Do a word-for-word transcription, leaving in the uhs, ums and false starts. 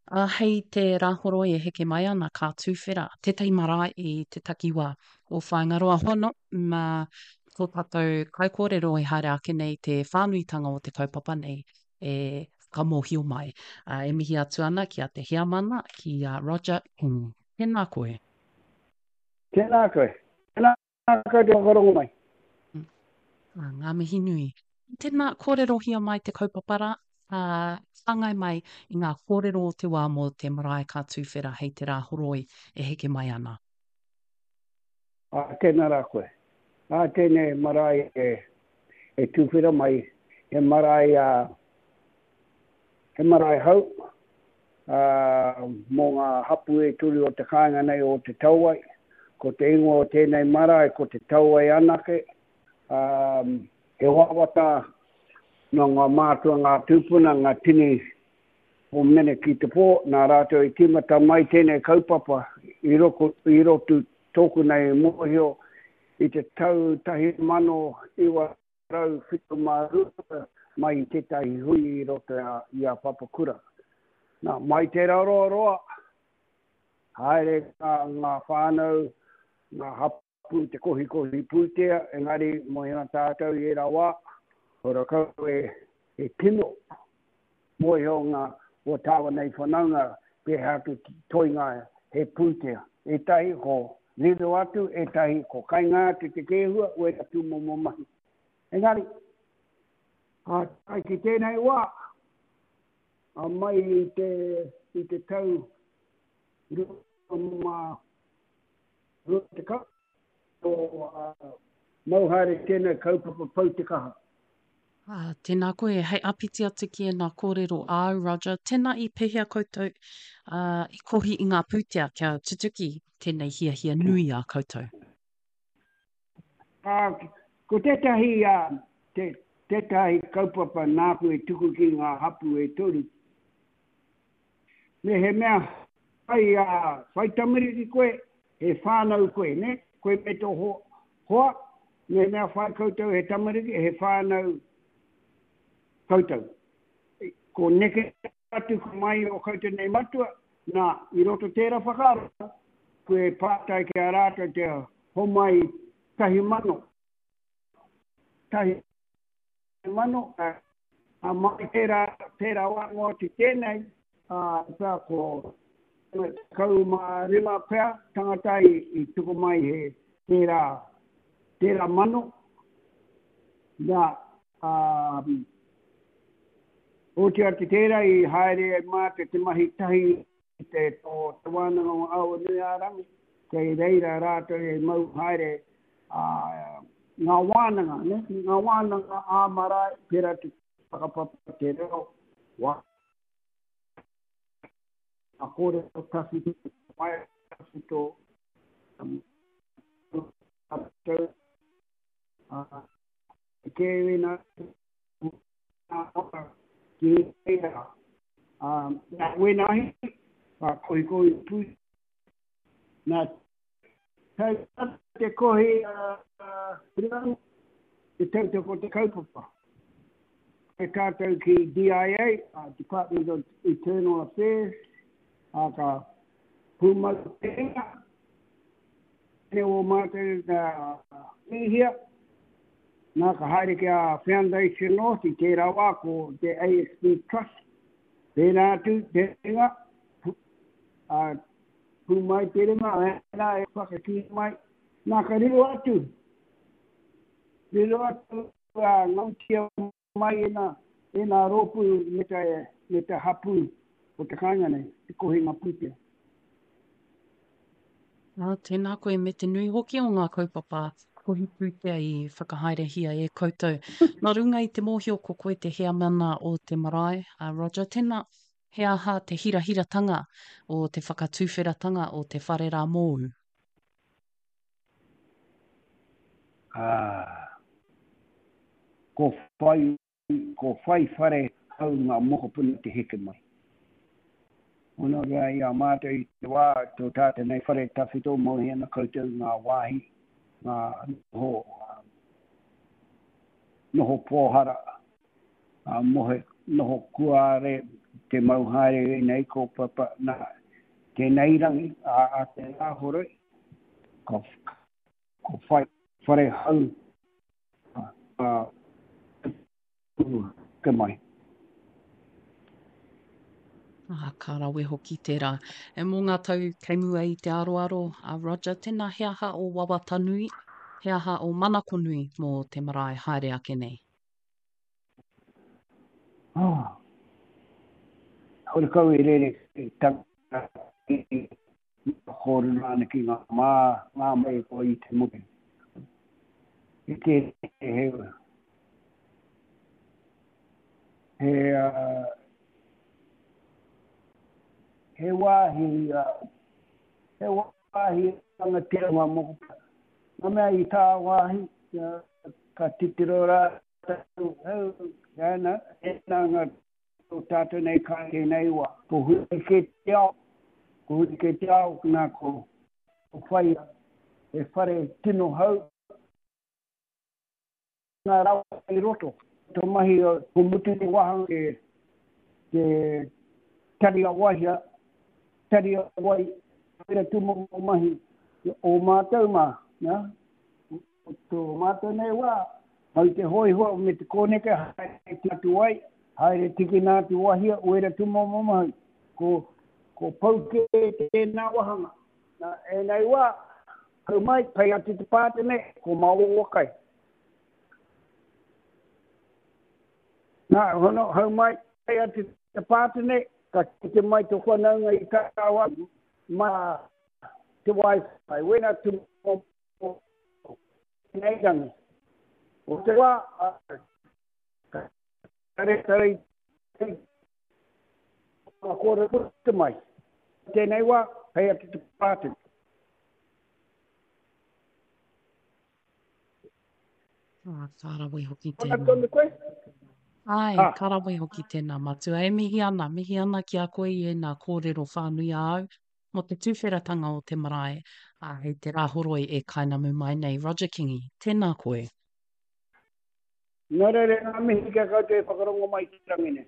Ā, hei te Rāhoroi e heke mai ana ka tuwhera tētahi marae i te takiwā o Whāingaroa. Hono, mā tō tātou kaikōrero e haere ake nei te whānuitanga o te kaupapa nei e whakamōhio mai. Ā, e mihi atu ana ki a Te Heamana, ki a Roger King. Tēnā koe. Tēnā koe. Tēnā koe te whakarongo mai. Ā, ngā mihi nui. Tēnā, kōrerohia mai te kaupapa rā, ā, whāngai mai i ngā kōrero o te wā mō te marae ka tuwhera hei te Rāhoroi e heke mai ana. Ā, tēnā rā koe. Ā, tēnei marae e, e tuwhera mai, he marae, ā, he marae hou, ā, mō ngā hapū e toru o te kāinga nei o Te Tauai. Ko te ingoa o tēnei marae ko Te Tauai anake. Ā, he wawata nō ngā mātua, ngā tūpuna, ngā tini o Mene ki te pō, nā rātou i tīmata mai tēnei kaupapa i roko, i roto tōku nei mōhio i te tau tahi mano iwa rau whitu mā rua mai i tētahi hui i roto i a Papakura. Nā, mai tērā roa roa, haere ngā, ngā whānau, ngā hapū te kohikohi pūtea, engari mō hea tātou i ērā wā, horakau e, e kino, mōhio ngā o tāua nei whanaunga pēhea atu toinga he pūtea. Ētahi ko riro atu, ētahi ko kainga atu te kēhua, wērā tūmomo mahi. Engari, ā, tae ki tēnei wā, ā, mai i te, i te tau rua mā rua tekau, ko ā, mau haere tēnei kaupapa pau te kaha. Ā, tēnā koe, hei āpiti atu ki ēnā kōrero āu, Roger, tēnā i pēhea koutou, ā, i kohi i ngā pūtea kia tutuki tēnei hiahia nui a koutou? Ā, ko tētahi, ā, te, tētahi kaupapa nāku e tuku ki ngā hapū e toru, me he mea whai, ā, whai tamariki koe, he whānau koe, nē, koe me tō hoa, hoa, me mea whai koutou he tamariki, he whānau koutou. Ko neke atu ko mai o koutou nei matua, nā, i roto tērā whakaaro, koe pātai ki a rātou te homai tahi mano, tahi mano, ā, mai tērā, tērā wā noa atu tēnei, ā, pea ko tekau mā rima pea tangata i, i tuku mai he tērā, tērā mano, nā, ā, oti atu tērā i haere ai mātou te mahi tahi i te, tō Te Wānanga o Awanuiārangi, kei reira rātou e mau haere, ā, ngā wānanga, ne? Ngā wānanga ā-marae, pērā te whakapapa, te reo, wā, ngā kōrero tawhito, waea tawhito, um, tātou, ā, te kēwena, ngā waka ki reira, ā, nā wēnā ahi, ka kohikohi pū, nā tau te kohi a rau, te tautoko te kaupapa. E tātou ki D I A, Department of Internal Affairs, ā, ka pūmau tēnā, tēnei o mātou ka mihia, nā ka haere ki a Foundation North i tērā wā ko te A S B Trust, tēnā atu, tēnā, ā, pū mai te ringa, ēnā e whakakī mai, nā ka riro atu, riro atu a ngautia mai ēnā, ēnā rōpū me te, me te hapū o te kāinga nei, te kohinga pūtea. Ā, tēnā koe me te nui hoki o ngā kaupapa kohi pūtea i whakahaerehia e koutou. Nā runga i te mōhio ko koe te heamana o te marae, a Roger, tēnā, he aha te hirahiratanga o te whakatuwheratanga o te whare rā mōu? Ā, ko whai, ko whai whare hau ngā mokopuna te heke mai. Ono rā i a mātou i te wā, tō tātou nei whare tawhito, mōhio ana koutou ngā wāhi, ngā noho, noho pōhara, ngā mohe, noho kuare, Te mau haere ēnei kaupapa, nā, tēnei rangi, a, a te Rāhoroi, ka, ko whai whare hau, a, te mai. Ah, ka rawe hoki tērā. E mō ngā tau kei mua i te aroaro, a Roger, tēnā he aha o wawata nui, he aha o manako nui mō te marae haere ake nei? Oh. Horekau e rere tanga i kōrero ana ki ngā mā, ngā mai ko i te motu. I te he, he, uh, he wāhi, uh, he wāhi rangatira ngā mokopuna. Ngā mea i tā wāhi, uh, ka titiro rātou, hau, ana, ēnā ngā tō tātou nei kai tēnei wā. Ko huri kē te ao, ko huri kē te ao, nā ko, ko whai he whare tino hau, ngā rawa i roto. Tō mahi, ko mutu te wāhanga te, te tari a waihia, tari a wai, pera tūmomo mahi o mātou mā, nā? O tō mātou nei wā, mau te hōiho me te kōneke, haere te atu ai, haere tikina atu wahia, wera tūmomo mahi. Ko, ko pau kē tēnā wāhanga. Nā, ēnei wā, hau mai, pai atu te pātene, ko maoa kai. Nā, hono, hau mai, pai atu te pātene, ka kite mai tō whanaunga i tāwā, mā te wifi, wena tūmomo nei rangi. O te wā, ka tare tare ka kōrero puta mai. Tēnei wā, hei atu te pātene. Ah, ka rawe hoki Ona tēnā. tonu koe? Ai, Ah. ka rawe hoki tēnā, matua. E mihi ana, mihi ana ki a koe i ēnā kōrero whānui āu mō te tūwheratanga o te marae, ā, hei te Rāhoroi e kainamu mai nei. Roger Kingi, tēnā koe. Nō reira, ngā mihi kia koutou e whakarongo mai te rangi nei.